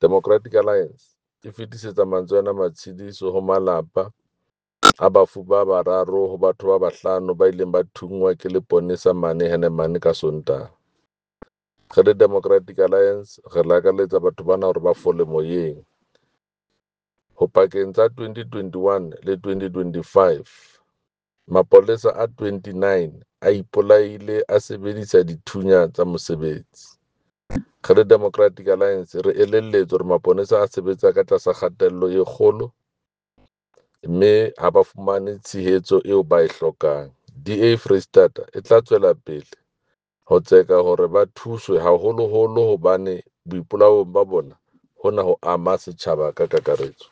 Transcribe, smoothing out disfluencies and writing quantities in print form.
Democratic Alliance e fetisetsa mantswe ana a matshediso ho malapa a bafu ba bararo ho batho ba bahlano ba ileng ba thunngwa ke leponesa mane Hennenman ka Sontaha. Re le Democratic Alliance re lakaletsa batho bana hore ba fole moyeng. Ho pakeng tsa 2021 le 2025, mapolesa a 29 a ipolaile a sebedisa dithunya tsa mosebetsi. Re le Democratic Alliance re elelletswe hore maponesa a sebetsa ka tlasa kgatello e kgolo mme ha ba fumane tshehetso eo ba e hlokang. DA Freistata e tla tswela pele ho tseka hore ba thuswe haholoholo hobane boipolao ba bona hona ho ama setjhaba ka kakaretso.